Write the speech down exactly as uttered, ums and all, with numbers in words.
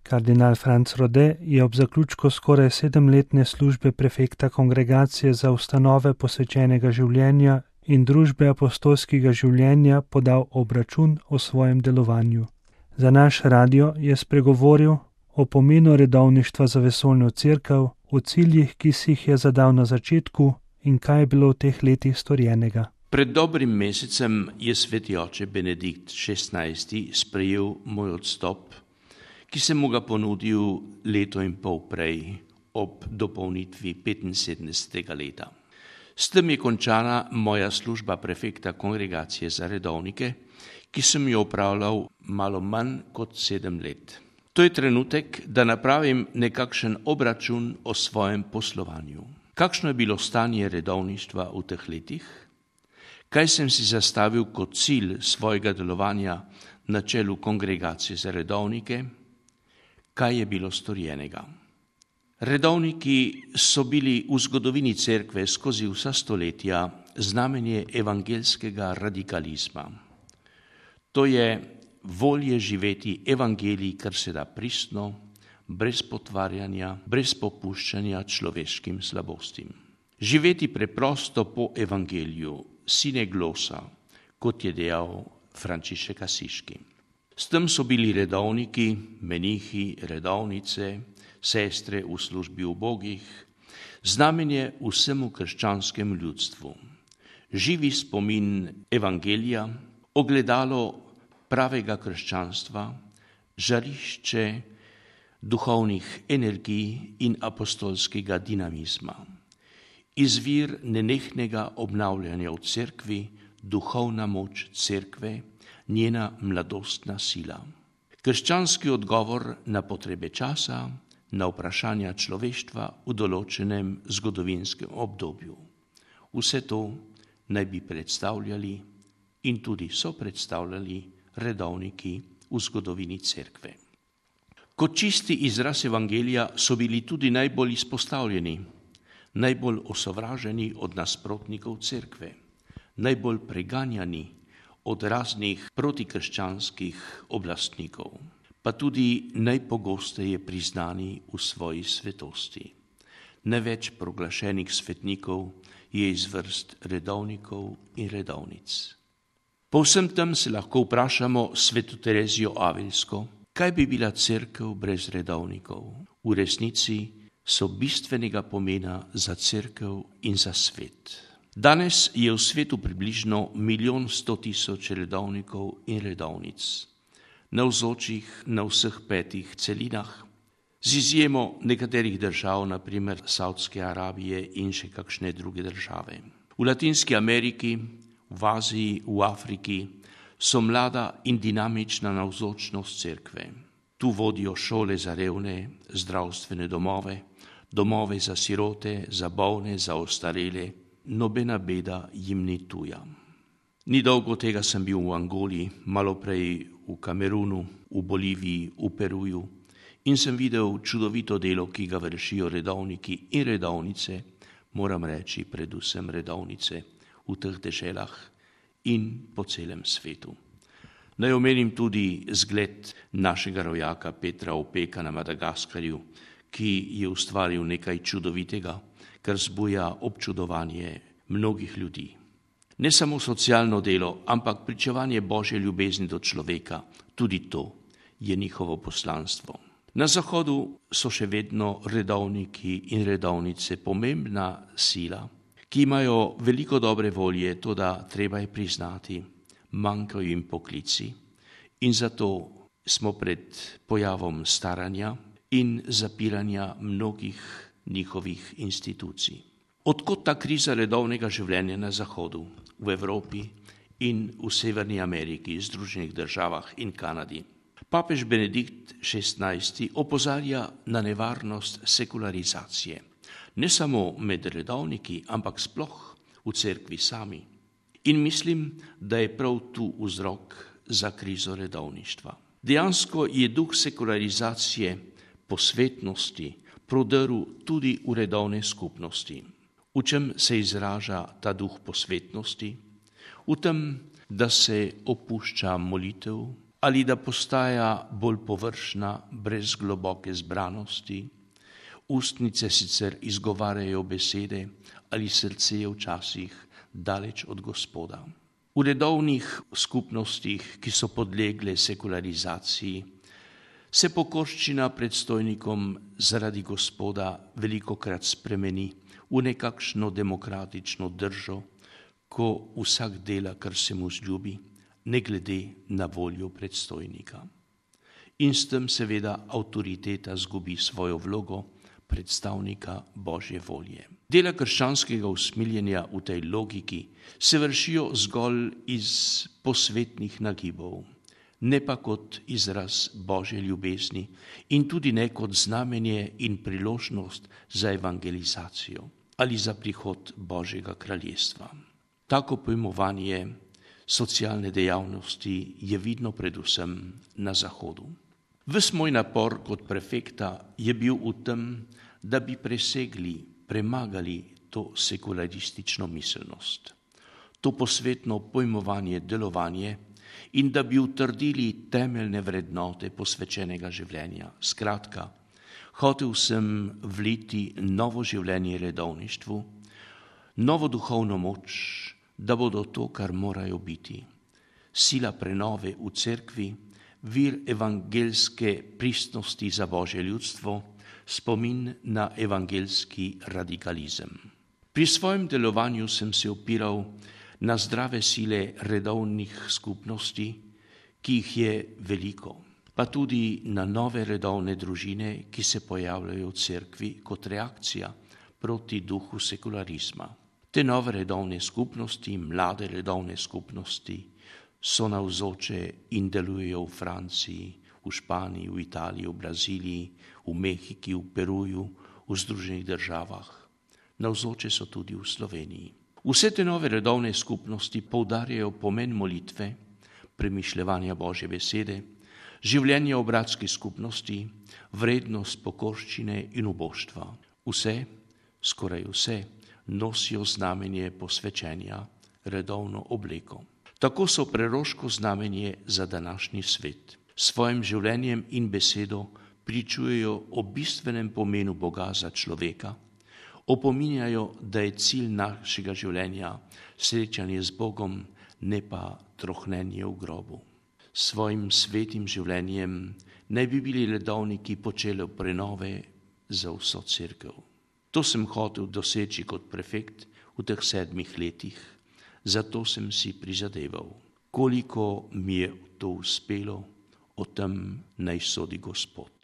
Kardinal Franc Rode je ob zaključku skoraj sedemletne službe prefekta Kongregacije za ustanove posvečenega življenja in družbe apostolskega življenja podal obračun o svojem delovanju. Za naš radio je spregovoril o pomenu redovništva za vesoljno cerkev, o ciljih, ki si jih je zadal na začetku in kaj je bilo v teh letih storjenega. Pred dobrim mesecem je sveti oče Benedikt šestnajsti sprejel moj odstop, ki sem mu ga ponudil leto in pol prej ob dopolnitvi petinsedemdesetega leta. S tem je končana moja služba prefekta Kongregacije za redovnike, ki sem jo opravljal malo manj kot sedem let. To je trenutek, da napravim nekakšen obračun o svojem poslovanju. Kakšno je bilo stanje redovništva v teh letih? Kaj sem si zastavil kot cilj svojega delovanja na čelu Kongregacije za redovnike? Kaj je bilo storjenega? Redovniki so bili v zgodovini cerkve skozi vsa stoletja znamenje evangeljskega radikalizma. To je volje živeti evangelij kar se da pristno, brez potvarjanja, brez popuščanja človeškim slabostim. Živeti preprosto po evangeliju, sine glosa, kot je dejal Frančišek Asiški. S tem so bili redovniki, menihi, redovnice, sestre v službi ubogih, znamenje vsemu krščanskemu ljudstvu. Živi spomin evangelija, ogledalo pravega krščanstva, žarišče duhovnih energij in apostolskega dinamizma. Izvir nenehnega obnavljanja v cerkvi, duhovna moč cerkve, njena mladostna sila. Krščanski odgovor na potrebe časa, na vprašanja človeštva v določenem zgodovinskem obdobju. Vse to naj bi predstavljali in tudi so predstavljali redovniki v zgodovini cerkve. Kot čisti izraz evangelija so bili tudi najbolj izpostavljeni, najbolj osovraženi od nasprotnikov cerkve, najbolj preganjani od raznih protikrščanskih oblastnikov, pa tudi najpogosteje priznani v svoji svetosti. Največ proglašenih svetnikov je iz vrst redovnikov in redovnic. Po vsem tem se lahko vprašamo sveto Terezijo Avilsko, kaj bi bila cerkev brez redovnikov? V resnici so bistvenega pomena za cerkev in za svet. Danes je v svetu približno milijon sto tisoč redovnikov in redovnic, navzočih na vseh petih celinah, z izjemo nekaterih držav, na primer Saudske Arabije in še kakšne druge države. V Latinski Ameriki, v Aziji, v Afriki so mlada in dinamična navzočnost cerkve. Tu vodijo šole za revne, zdravstvene domove, domove za sirote, za bolne, za ostarele. Nobena beda jim ni tuja. Ni dolgo tega sem bil v Angoli, malo prej v Kamerunu, v Boliviji, v Peruju in sem videl čudovito delo, ki ga vršijo redovniki in redovnice, moram reči predvsem redovnice v teh deželah in po celem svetu. Naj omenim tudi zgled našega rojaka Petra Opeka na Madagaskarju, ki je ustvaril nekaj čudovitega, kar zbuja občudovanje mnogih ljudi. Ne samo socialno delo, ampak pričevanje Božje ljubezni do človeka, tudi to je njihovo poslanstvo. Na Zahodu so še vedno redovniki in redovnice pomembna sila, ki imajo veliko dobre volje, toda treba je priznati, manjkajo jim poklici in zato smo pred pojavom staranja in zapiranja mnogih njihovih institucij. Odkot ta kriza redovnega življenja na Zahodu, v Evropi in v Severni Ameriki, Združenih državah in Kanadi? Papež Benedikt šestnajsti opozarja na nevarnost sekularizacije, ne samo med redovniki, ampak sploh v cerkvi sami. In mislim, da je prav tu vzrok za krizo redovništva. Dejansko je duh sekularizacije, posvetnosti, prodrl tudi v redovne skupnosti. V čem se izraža ta duh posvetnosti? V tem, da se opušča molitev, ali da postaja bolj površna, brez globoke zbranosti. Ustnice sicer izgovarjajo besede, ali srce je včasih daleč od Gospoda. V redovnih skupnostih, ki so podlegle sekularizaciji, se pokorščina predstojnikom zaradi Gospoda velikokrat spremeni v nekakšno demokratično držo, ko vsak dela, kar se mu zljubi, ne glede na voljo predstojnika. In s tem seveda avtoriteta zgubi svojo vlogo predstavnika Božje volje. Dela krščanskega usmiljenja v tej logiki se vršijo zgolj iz posvetnih nagibov, ne pa kot izraz Božje ljubezni in tudi ne kot znamenje in priložnost za evangelizacijo ali za prihod Božjega kraljestva. Tako pojmovanje socialne dejavnosti je vidno predvsem na Zahodu. Ves moj napor kot prefekta je bil v tem, da bi presegli, premagali to sekularistično miselnost, to posvetno pojmovanje delovanje in da bi utrdili temeljne vrednote posvečenega življenja. Skratka, hotel sem vliti novo življenje redovništvu, novo duhovno moč, da bodo to, kar morajo biti. Sila prenove v cerkvi, vir evangelske pristnosti za Božje ljudstvo, spomin na evangelski radikalizem. Pri svojem delovanju sem se opiral na zdrave sile redovnih skupnosti, ki jih je veliko, pa tudi na nove redovne družine, ki se pojavljajo v cerkvi kot reakcija proti duhu sekularizma. Te nove redovne skupnosti, mlade redovne skupnosti, so navzoče in delujejo v Franciji, v Španiji, v Italiji, v Braziliji, v Mehiki, v Peruju, v Združenih državah. Navzoče so tudi v Sloveniji. Vse te nove redovne skupnosti poudarjajo pomen molitve, premišljevanja Božje besede, življenja v bratski skupnosti, vrednost pokorščine in uboštva. Vse, skoraj vse, nosijo znamenje posvečenja, redovno obleko. Tako so preroško znamenje za današnji svet. S svojim življenjem in besedo pričujejo o bistvenem pomenu Boga za človeka, opominjajo, da je cilj našega življenja srečanje z Bogom, ne pa trohnenje v grobu. S svojim svetim življenjem naj bi bili redovniki počeli prenove za vso cerkev. To sem hotel doseči kot prefekt v teh sedmih letih, zato sem si prizadeval. Koliko mi je to uspelo, o tem naj sodi Gospod.